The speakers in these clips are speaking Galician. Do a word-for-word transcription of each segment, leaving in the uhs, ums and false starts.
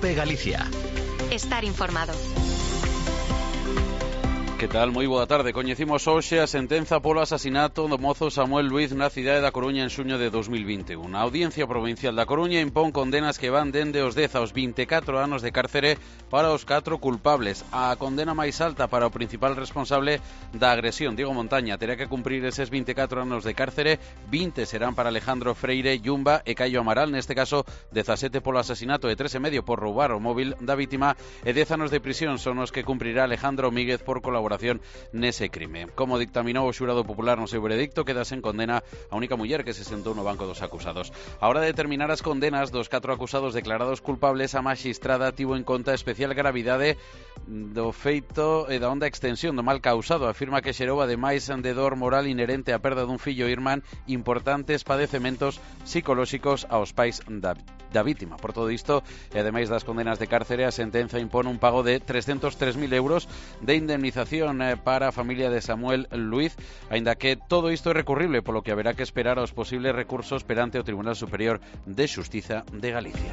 COPE Galicia. Estar informado. Que tal? Moi boa tarde. Coñecimos hoxe a sentenza polo asasinato do mozo Samuel Luiz na cidade da Coruña en xuño de dos mil vinte e un. A Audiencia Provincial da Coruña impón condenas que van dende os dez aos vinte e catro anos de cárcere para os catro culpables. A condena máis alta para o principal responsable da agresión, Diego Montaña, terá que cumprir eses vinte e catro anos de cárcere. vinte serán para Alejandro Freire Yumba e Caio Amaral, neste caso dezasete polo asasinato e tres e medio por roubar o móvil da vítima, e dez anos de prisión son os que cumprirá Alejandro Míguez por colaboración nese crime. Como dictaminou o xurado popular no seu veredicto, queda sen condena a única muller que se sentou no banco dos acusados. A hora de determinar as condenas dos catro acusados declarados culpables, a maxistrada tivo en conta a especial gravidade do feito e da honda extensión do mal causado. Afirma que xerou, ademais de dor moral inherente á perda dun fillo e irmán, importantes padecementos psicolóxicos aos pais da, da vítima. Por todo isto, e ademais das condenas de cárcere, a sentenza impón un pago de trescentos tres mil euros de indemnización para a familia de Samuel Luiz, aínda que todo isto é recurrible, polo que haberá que esperar aos posibles recursos perante o Tribunal Superior de Xustiza de Galicia.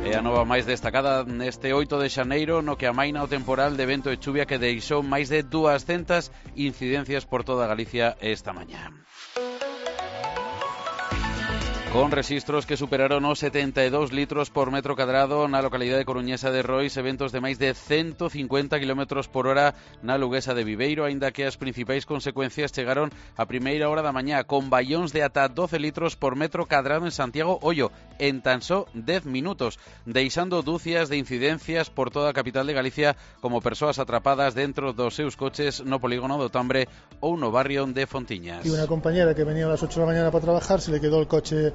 E a nova máis destacada neste oito de xaneiro, no que amaina o temporal de vento e chuvia que deixou máis de duascentas incidencias por toda Galicia esta mañá, con rexistros que superaron os setenta e dous litros por metro cadrado na localidade coruñesa de Rois, e ventos de máis de ciento cincuenta kilómetros por hora na luguesa de Viveiro, aínda que as principais consecuencias chegaron a primeira hora da mañá, con baións de ata doce litros por metro cadrado en Santiago, ollo, en tan só dez minutos, deixando dúcias de incidencias por toda a capital de Galicia, como persoas atrapadas dentro dos seus coches no polígono do Tambre ou no barrio de Fontiñas. Y una compañera que venía a las ocho de la mañana para trabajar, se le quedó el coche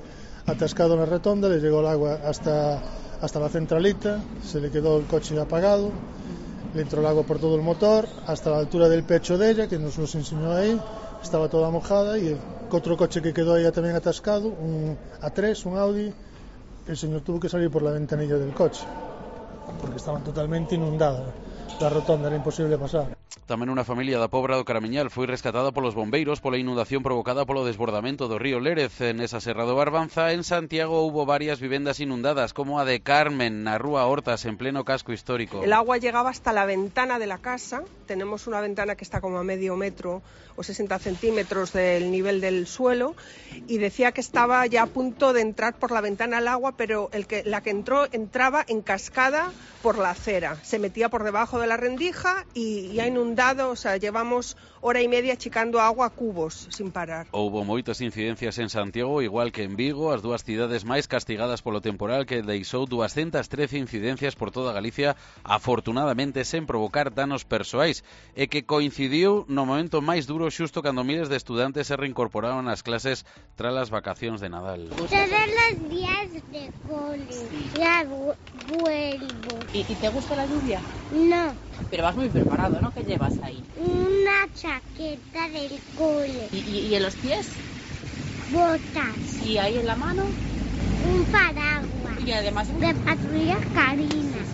atascado en la rotonda, le llegó el agua hasta, hasta la centralita, se le quedó el coche apagado, le entró el agua por todo el motor, hasta la altura del pecho de ella, que nos los enseñó ahí, estaba toda mojada, y el otro coche que quedó ahí también atascado, un A tres, un Audi, el señor tuvo que salir por la ventanilla del coche, porque estaban totalmente inundadas, la rotonda era imposible pasar. Tamén unha familia da Pobra do Caramiñal foi rescatada polos bombeiros pola inundación provocada polo desbordamento do río Lérez. Nesa serra do Barbanza, en Santiago, houbo varias vivendas inundadas, como a de Carmen, na rúa Hortas, en pleno casco histórico. El agua llegaba hasta la ventana de la casa. Tenemos una ventana que está como a medio metro o sesenta centímetros del nivel del suelo, y decía que estaba ya a punto de entrar por la ventana el agua, pero el que, la que entró entraba en cascada por la acera, se metía por debajo de la rendija y, y ha inundado, o sea, llevamos hora y media achicando agua a cubos sin parar. Houbo moitas incidencias en Santiago, igual que en Vigo, as dúas cidades máis castigadas polo temporal, que deixou doscientas trece incidencias por toda Galicia, afortunadamente sen provocar danos persoais, e que coincidiu no momento máis duro, xusto cando miles de estudantes se reincorporaron ás clases tras as vacacións de Nadal. Todos los días de cole, ya vuelvo. ¿Y, ¿Y te gusta la lluvia? No. Pero vas muy preparado, ¿no? ¿Qué llevas ahí? Una chaqueta del cole. ¿Y, y, y en los pies? Botas. ¿Y ahí en la mano? Un paraguas. Y además... De patrulla Karina.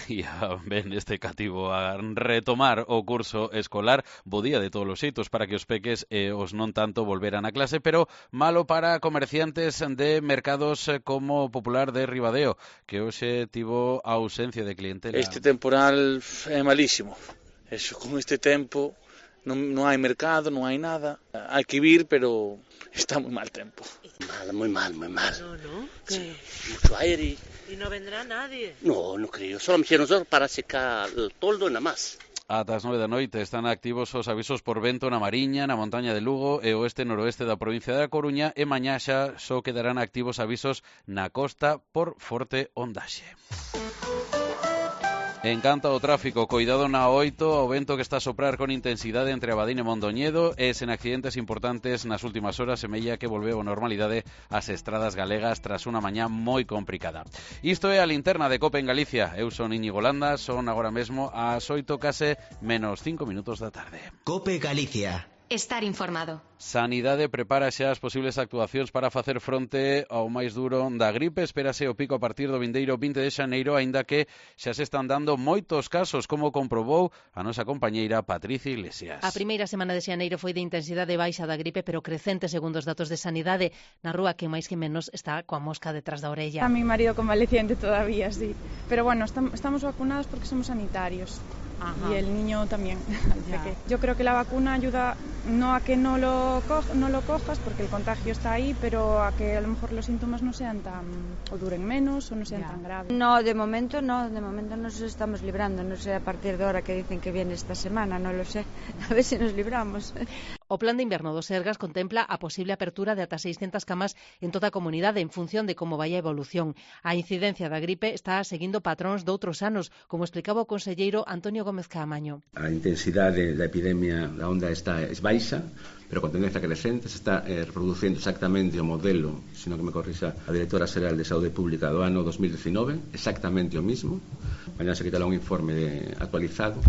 E a ben este cativo a retomar o curso escolar, bo día de todos os xeitos para que os peques e os non tanto volveran a clase, pero malo para comerciantes de mercados como Popular de Ribadeo, que hoxe tivo ausencia de clientela. Este temporal é malísimo. Eso, con este tempo non, non hai mercado, non hai nada. Hai que vir, pero está moi mal tempo. Mal, moi mal, moi mal. No, no, que... Sí, mucho aire. ¿Y no vendrá nadie? No, no creo. Solo me hicieron solo para secar el toldo e nada más. Ata as nove da noite están activos os avisos por vento na Mariña, na montaña de Lugo e oeste noroeste da provincia da Coruña, e mañá xa só quedarán activos avisos na costa por forte ondaxe. En canto ao tráfico, coidado na oito, o vento que está a soprar con intensidade entre Abadín e Mondoñedo, e sen accidentes importantes nas últimas horas, semella que volveu a normalidade as estradas galegas tras unha mañá moi complicada. Isto é a linterna de COPE en Galicia. Eu son Íñigo Landa, son agora mesmo ás oito case menos cinco minutos da tarde. COPE Galicia. estar informado. Sanidade prepara xa as posibles actuacións para facer fronte ao máis duro da gripe. Espérase o pico a partir do vindeiro vinte de xaneiro, aínda que xa se están dando moitos casos, como comprobou a nosa compañeira Patricia Iglesias. A primeira semana de xaneiro foi de intensidade baixa da gripe, pero crecente segundo os datos de Sanidade. Na rúa, que máis que menos está coa mosca detrás da orella. A mi marido convaleciente todavía, sí. Pero bueno, estamos vacunados porque somos sanitarios. Ajá. Y el niño también. Yo creo que la vacuna ayuda no a que no lo, co no lo cojas, porque el contagio está ahí, pero a que a lo mejor los síntomas no sean tan, o duren menos, o no sean ya. tan graves. No, de momento no, de momento nos estamos librando. No sé a partir de ahora que dicen que viene esta semana, no lo sé. A ver si nos libramos. O plan de inverno do Sergas contempla a posible apertura de ata seiscentas camas en toda a comunidade en función de como vai a evolución. A incidencia da gripe está seguindo patróns doutros anos, como explicaba o conselleiro Antonio Gómez Caamaño. A intensidade da epidemia da onda está es baixa, pero con tendencia crecente. Se está eh, reproducindo exactamente o modelo, sino que me corrija a directora xeral de Saúde Pública do ano dos mil diecinueve, exactamente o mismo. Mañá se quitará un informe de, actualizado.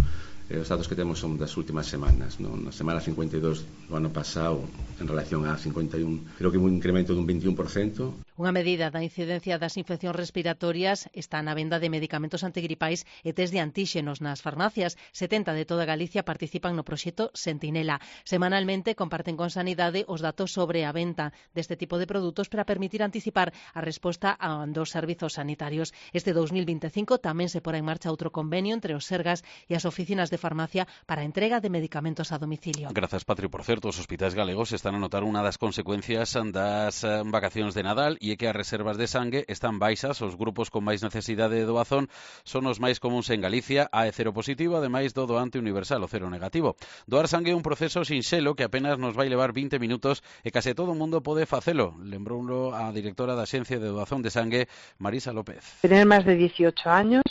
Eh, os datos que temos son das últimas semanas, ¿no? Na semana cincuenta e dos do ano pasado en relación a cincuenta e un, creo que un incremento dun veintiún por cento. Unha medida da incidencia das infeccións respiratorias está na venda de medicamentos antigripais e test de antíxenos nas farmacias. setenta de toda Galicia participan no proxecto Sentinela. Semanalmente comparten con Sanidade os datos sobre a venta deste tipo de produtos para permitir anticipar a resposta a dos servizos sanitarios. Este dos mil veinticinco tamén se porá en marcha outro convenio entre os Sergas e as oficinas de farmacia para a entrega de medicamentos a domicilio. Grazas, Patri. Por certo, os hospitais galegos están a notar unha das consecuencias das vacacións de Nadal e é que as reservas de sangue están baixas. Os grupos con máis necesidade de doazón son os máis comuns en Galicia. A é cero positivo, ademais do doante universal, o cero negativo. Doar sangue é un proceso sinxelo que apenas nos vai levar vinte minutos e case todo o mundo pode facelo. Lembroulo a directora da Axencia de Doazón de Sangue, Marisa López. Tener máis de dieciocho años,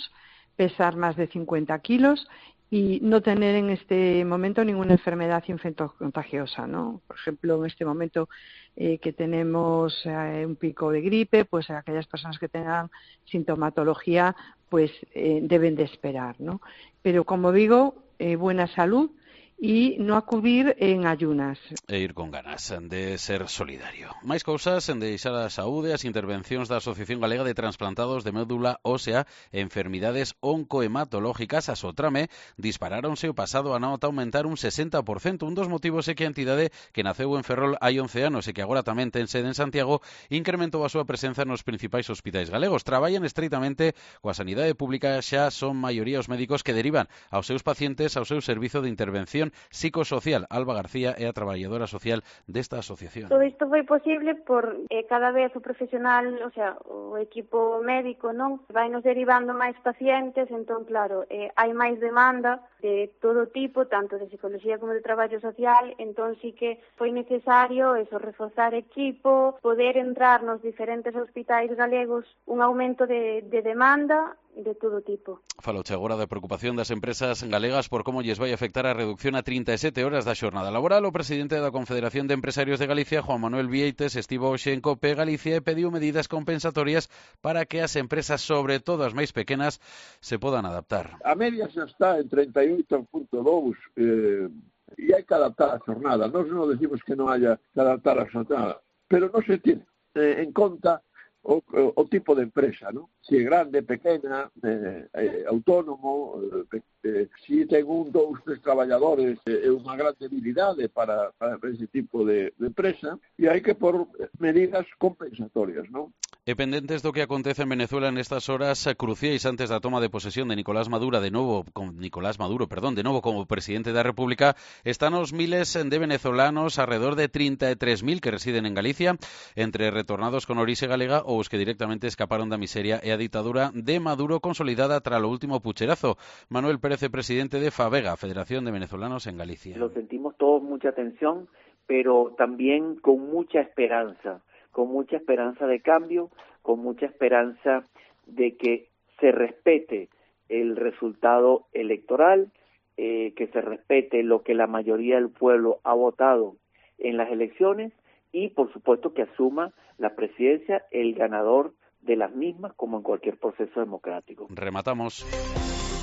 pesar máis de cincuenta kilos y no tener en este momento ninguna enfermedad infectocontagiosa, ¿no? Por ejemplo, en este momento eh, que tenemos eh, un pico de gripe, pues aquellas personas que tengan sintomatología, pues eh, deben de esperar, ¿no? Pero como digo, eh, buena salud e non acudir en ayunas. E ir con ganas de ser solidario. Máis cousas en deixar a saúde, as intervencións da Asociación Galega de Transplantados de Médula Ósea e Enfermidades Oncohematológicas, a Sotrame, disparáronse o pasado ano ata aumentar un sesenta por cento. Un dos motivos é que a entidade que naceu en Ferrol hai once anos e que agora tamén ten sede en Santiago incrementou a súa presenza nos principais hospitais galegos. Traballan estreitamente coa sanidade pública, xa son maioría os médicos que derivan aos seus pacientes ao seu servizo de intervención psicosocial. Alba García é a traballadora social desta asociación. Todo isto foi posible por eh, cada vez o profesional, o sea, o equipo médico, non, vai nos derivando máis pacientes, entón claro, eh, hai máis demanda de todo tipo, tanto de psicología como de traballo social, entón sí que foi necesario eso, reforzar equipo, poder entrar nos diferentes hospitais galegos, un aumento de, de demanda de todo tipo. Faloche agora da preocupación das empresas galegas por como lles vai afectar a reducción a trinta e sete horas da xornada laboral. O presidente da Confederación de Empresarios de Galicia, Juan Manuel Vieites, estivo hoxe en COPE Galicia e pediu medidas compensatorias para que as empresas, sobre todo as máis pequenas, se podan adaptar. A media xa está en treinta e oito punto dous eh, e hai que adaptar a xornada. Nós non decimos que non haya que adaptar a xornada, pero non se tiene eh, en conta O, o, o tipo de empresa, ¿no? Si é grande, pequena, eh, eh, autónomo, eh, eh, si ten un, dous, tres traballadores, é eh, unha gran debilidade para, para ese tipo de, de empresa e hai que por medidas compensatorias, ¿no? E pendentes do que acontece en Venezuela nestas horas cruciais antes da toma de posesión de Nicolás Maduro de novo, con Nicolás Maduro, perdón, de novo como presidente da República, están os miles de venezolanos, alrededor de trinta e tres mil que residen en Galicia, entre retornados con orixe galega ou os que directamente escaparon da miseria e a ditadura de Maduro consolidada tras o último pucherazo. Manuel Pérez, presidente de FAVEGA, Federación de Venezolanos en Galicia. Lo sentimos todos mucha tensión, pero también con mucha esperanza. con mucha esperanza de cambio, con mucha esperanza de que se respete el resultado electoral, eh, que se respete lo que la mayoría del pueblo ha votado en las elecciones y, por supuesto, que asuma la presidencia el ganador de las mismas, como en cualquier proceso democrático. Rematamos.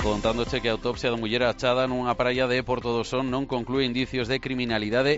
contándoche que a autopsia da muller achada nunha praia de Porto do Son non conclúe indicios de criminalidade